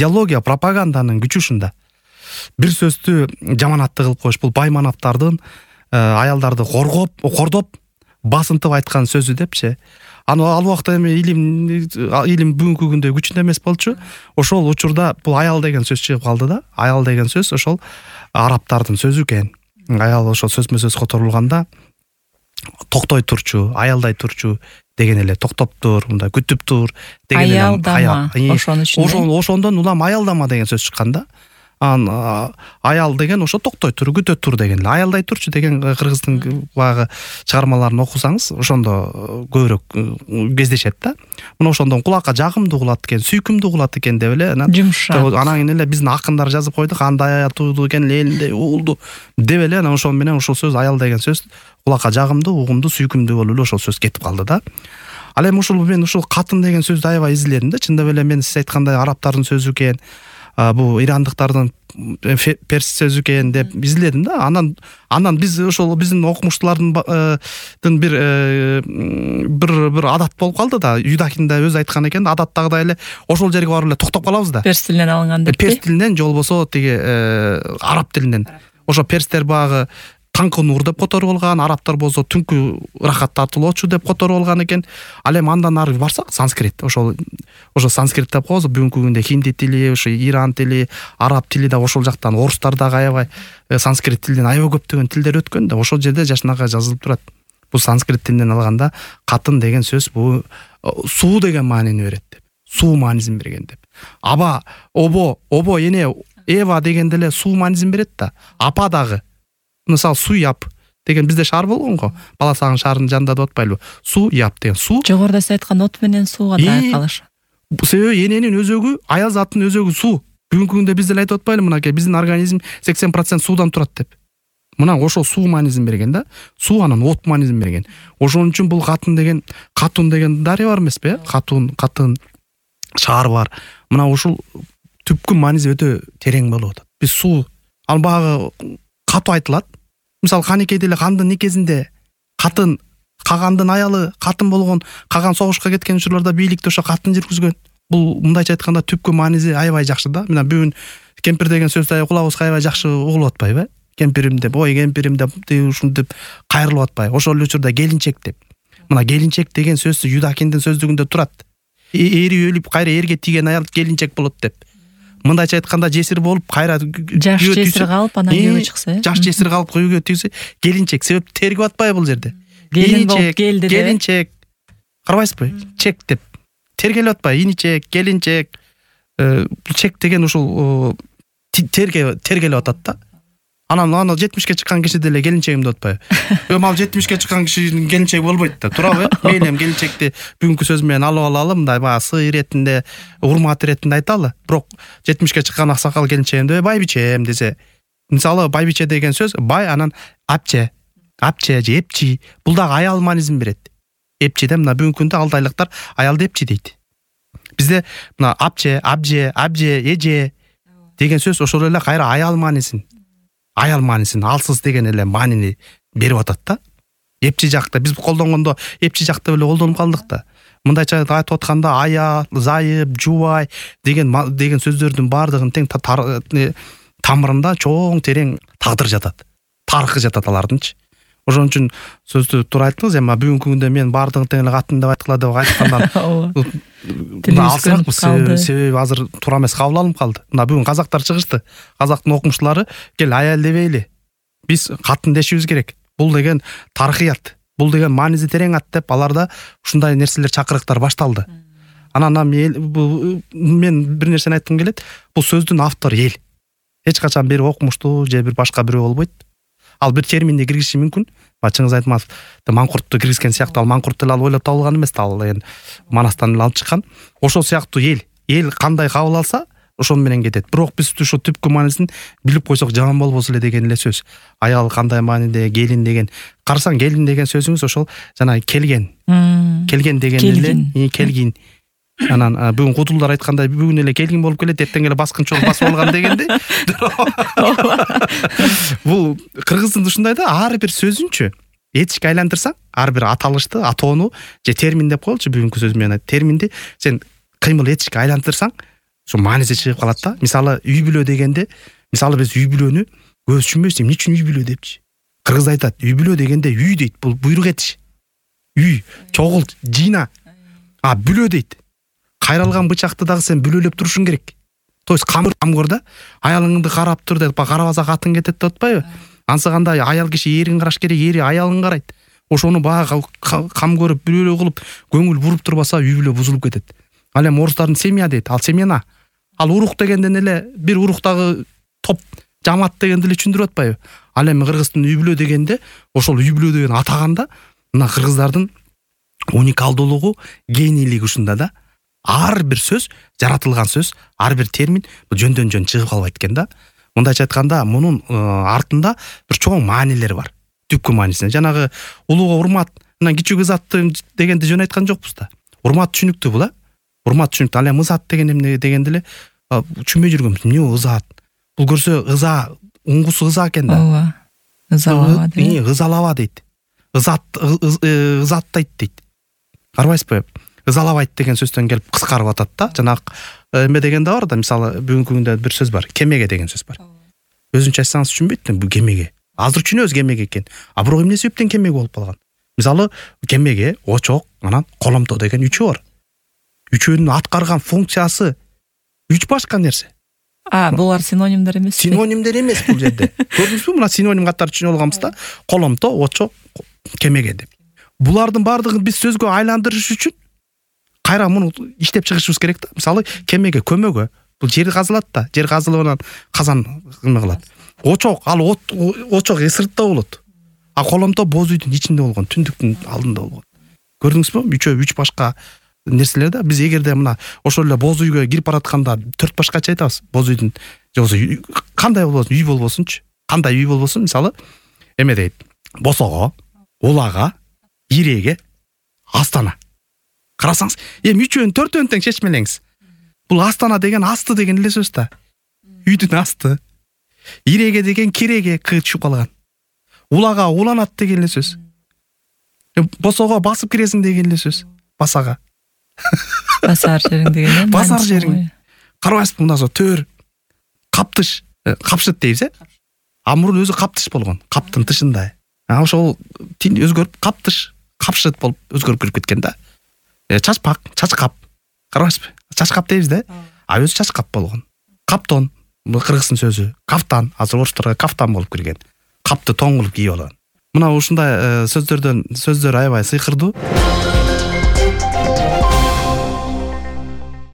идеология, пропаганданын күчү ушунда. Бир сөздү жаманатты кылып коюш, бул баймановдардын аялдарды кордоп басынтып айткан сөзү депчи. Ал убакта эми илим бүгүнкү күндө күчүндө эмес болчу. Ошол учурда бул аял деген сөз чыгып калды да. Аял деген сөз ошол арабтардын сөзү экен. Аял ошол сөзмө сөз которулганда токтой турчу, аялдай турчу деген эле, токтоп тур, мындай күтүп тур деген эле. Аялдама, ошон үчүн. Ошондон улам аялдама деген сөз чыккан да. Аял деген ошо токтой тур, күтө тур деген эле. Аялдай турчу деген кыргыздын баягы чыгармаларын окусаңыз, ошондо көбүрөөк кездешет да. Мына ошондон кулакка жагымдуу кулат экен, сүйкүмдүү кулат экен деп эле. Анан кийин эле биздин акындар жазып койду, кандай ая тууду экен, элинде уулду деп эле. Анан ошон менен ошол сөз, аял деген сөз кулакка жагымдуу, угумдуу, сүйкүмдүү болуп эле ошол сөз кетип калды да. Ал эми мен ушул катын деген сөздү аябай изиледим да. Чындап эле мен сиз айткандай арабтардын сөзү экен, бул ирандыктардын перс сөзү экен деп изиледим да. Анан биз ошол биздин окумуштуулардын бир адат болуп калды да. Юдахин да өзү айткан экен, адаттагыдай эле ошол жерге барып эле токтоп калабыз да. Перс тилинен алынган деп. Перс тилинен же болбосо тиги араб тилинен. Ошо перстер багы таңкы нур деп которуп алган, арабтар болсо түнкү рахат тартуулоочу деп которуп алган экен. Ал эми андан ары барсак санскрит, ошо санскрит деп коебуз. Бүгүнкү күндө хинди тили, ошо иран тили, араб тили да ошол жактан, орустар дагы аябай санскрит тилден аябай көптөгөн тилдер өткөн да. Ошол жерде жашынакай жазылып турат. Бул санскрит тилинен алганда катын деген сөз бул суу деген маанини берет деп. Суу маанисин берген деп. Аба, обо, эне, Эва дегенде эле суу маанисин берет да. Апа дагы. Мисалы суяп деген бизде шаар болгон го. Бала сагын шаарынын жанында деп атпайлыбы? Суяп деген суу. Жогоруда сиз айткан от менен сууга да айкалыш. Себеби эненин өзөгү, аял заттын өзөгү суу. Бүгүнкү күндө биз деле айтып атпайлыбы, мынакей биздин организм 80% суудан турат деп. Мына ошол суу маанисин берген да. Суу анан от маанисин берген. Ошон үчүн бул катын деген дарыя бар эмеспи? Катын шаар бар. Мына ушул түпкү мааниси өтө терең болуп атат. Биз суу, ал багы катуу айтылат. Мисалы Канекейде эле кандын никесинде кагандын аялы катын болгон, каган согушка кеткен учурларда бийликти ошо катын жүргүзгөн. Бул мындайча айтканда түпкү мааниси аябай жакшы да. Мына бүгүн кемпир деген сөздү кулабызга аябай жакшы угулуп атпайбы? Кемпирим деп, ой кемпирим деп, ушинтип кайрылып атпайбы? Ошол учурда келинчек деп. Мына келинчек деген сөз Юдахиндин сөздүгүндө турат. Эри өлүп кайра эрге тийген аял келинчек болот деп. Мындайча айтканда жесир болуп кайра жаш жесир калып анан күйөө чыкса, жаш жесир калып күйөө тийсе келинчек. Себеп тергеп атпайбы бул жерде? Келин болуп келди деп. Келинчек. Карабайсызбы? Чек деп. Тергелип атпайбы? Иничек, келинчек. Чек деген ушул тергелип атат да. Анан 70ке чыккан киши деле келинчегим деп атпайбы? Ал 70ке чыккан кишинин келинчеги болбойт да. Туурабы? Мейли эми келинчекти бүгүнкү сөз менен алып алалы, мындай баягы сый иретинде, урмат иретинде айталы. Бирок 70ке чыккан аксакал келинчегим деп байбичем десе, мисалы байбиче деген сөз бай, анан апче же эпчи. Бул дагы аял маанисин берет. Эпчиде мына бүгүнкү күндө алдайлыктар аялды эпчи дейт. Бизде мына апче, абже, эже деген сөз ошол эле кайра аял маанисин, алсыз деген эле маанини берип атат да. Эпчи жакта биз колдонгондо эпчи жакта эле колдонуп калдык да. Мындайча айтып атканда аял, зайып, жубай деген сөздөрдүн баардыгынын тең тамырында чоң терең тагдыр жатат. Тарыхы жатат алардынчы. Ошон үчүн сөздү туура айттыңыз. Эми бүгүнкү күндө мен баардыгын тең эле катын деп айткыла деп айткандан алсыракпыз. Себеби азыр туура эмес кабыл алынып калды. Мына бүгүн казактар чыгышты. Казактын окумуштуулары кел аял дебейли. Биз катын дешибиз керек. Бул деген тарыхыят. Бул деген мааниси терең ат деп аларда ушундай нерселер, чакырыктар башталды. Анан мен бир нерсени айткым келет. Бул сөздүн автору эл. Эч качан бир окумуштуу же бир башка бирөө болбойт. Ал бир терминди киргизиши мүмкүн. Чыңгыз Айтматов маңкуртту киргизген сыяктуу, ал маңкурт деле ал ойлоп табылган эмес да, ал эми Манастан эле алып чыккан. Ошол сыяктуу эл кандай кабыл алса, ошон менен кетет. Бирок биз ушул түпкү маанисин билип койсок жаман болбосо эле деген эле сөз. Аял кандай мааниде, келин деген. Карасаң келин деген сөзүңүз ошол жана келген деген эле келгин. Анан бүгүн кудулдар айткандай бүгүн эле келгин болуп келет, эртең эле баскынчы болуп басып алган дегенде. Бул кыргыздын ушундай да, ар бир сөзүнчү этичке айлантырсаң, ар бир аталышты, атоону же термин деп коелучу бүгүнкү сөз менен терминди сен кыймыл этичке айлантырсаң, ошо мааниси чыгып калат да. Мисалы үй бүлө дегенде, мисалы биз үй бүлөнү көбүс түшүнбөйбүз. Эмне үчүн үй бүлө депчи? Кыргызда айтат, үй бүлө дегенде үй дейт, бул буйрук этиш. Үй, чогул, жыйна. А бүлө дейт. Кайралган бычакты дагы сен бүлөлөп турушуң керек. То есть камгор да, аялыңды карап тур деп, карабаса катын кетет деп атпайбы? Ансыганда аял киши эрин караш керек, эри аялын карайт. Ошону баягы кам көрүп, бүлөлө кылып, көңүл буруп турбаса үй бүлө бузулуп кетет. Ал эми орустардын семья дейт, ал семьяна. Ал урук дегенден эле бир уруктагы топ, жамаат дегенди эле түшүндүрүп атпайбы? Ал эми кыргыздын үй бүлө дегенде, ошол үй бүлө деген атаганда, мына кыргыздардын уникалдуулугу, генийлиги ушунда да. Ар бир сөз, жаратылган сөз, ар бир термин жөндөн жөн чыгып калбайт экен да. Мындайча айтканда, мунун артында бир чоң маанилер бар. Түпкү маанисине. Жанагы улууга урмат, мына кичүүг ызатты дегенди жөн айткан жокпуз да. Урмат түшүнүктүү бул, урмат түшүнүктүү. Ал эми ызат деген эмне дегенде эле түшүнбөй жүргөнбүз. Эмне ызат? Бул көрсө ыза, уңгусу ыза экен да. Ооба. Ызалаба дейт. Ызалаба дейт. Ызаттайт дейт. Карабайсызбы? Ызалабайт деген сөздөн келип кыскарып атат да. Жанагы эме деген да бар да, мисалы бүгүнкү күндө бир сөз бар, кемеге деген сөз бар. Өзүнчө айтсаңыз түшүнбөйт бул кемеге. Азыр түшүнөбүз кемеге экен. А бирок эмне себептен кемеге болуп калган? Мисалы кемеге очок, анан коломто деген үчөө бар. Үчөөнүн аткарган функциясы үч башка нерсе. Булар синонимдер эмес. Синонимдер эмес бул жерде. Көрдүңүзбү? Мына синоним катары түшүнүп алганбыз да. Коломто, очок, кемеге деп. Булардын баардыгын биз сөзгө айландырыш үчүн кайра муну иштеп чыгышыбыз керек да. Мисалы кемеге, көмөгө. Бул жер казылат да. Жер казылып анан казан эме кылат. Очок, ал очок сыртта болот. А коломто боз үйдүн ичинде болгон, түндүктүн алдында болгон. Көрдүңүзбү? Үчөө үч башка нерселер да. Биз эгерде мына ошол эле боз үйгө кирип баратканда төрт башкача айтабыз. Боз үйдүн жоксо кандай болбосун, үй болбосунчу. Кандай үй болбосун, мисалы эме дейт. Босого, улага, иреге, астана. Карасаңыз, эми үчөөнү төртөөнү тең чечмелеңиз. Бул астана деген асты деген эле сөз да. Үйдүн асты. Иреге деген киреге түшүп калган. Улага уланат деген эле сөз. Босого басып киресиң деген эле сөз. Басага. Басар жериң деген. Басар жериң. Карабайсызбы, мына төр, каптыш, капшыт дейбиз, А мурун өзү каптыш болгон. Каптын тышында. Ошол тил өзгөрүп каптыш, капшыт болуп өзгөрүп кирип кеткен да. Чачпак, чачкап. Карабайсызбы? Чачкап дейбиз да. А өзү чачкап болгон. Каптон, бул кыргыздын сөзү. Кафтан, азыр орустарга кафтан болуп кирген. Капты тоң кылып кийип алган. Мына ушундай сөздөр аябай сыйкырдуу.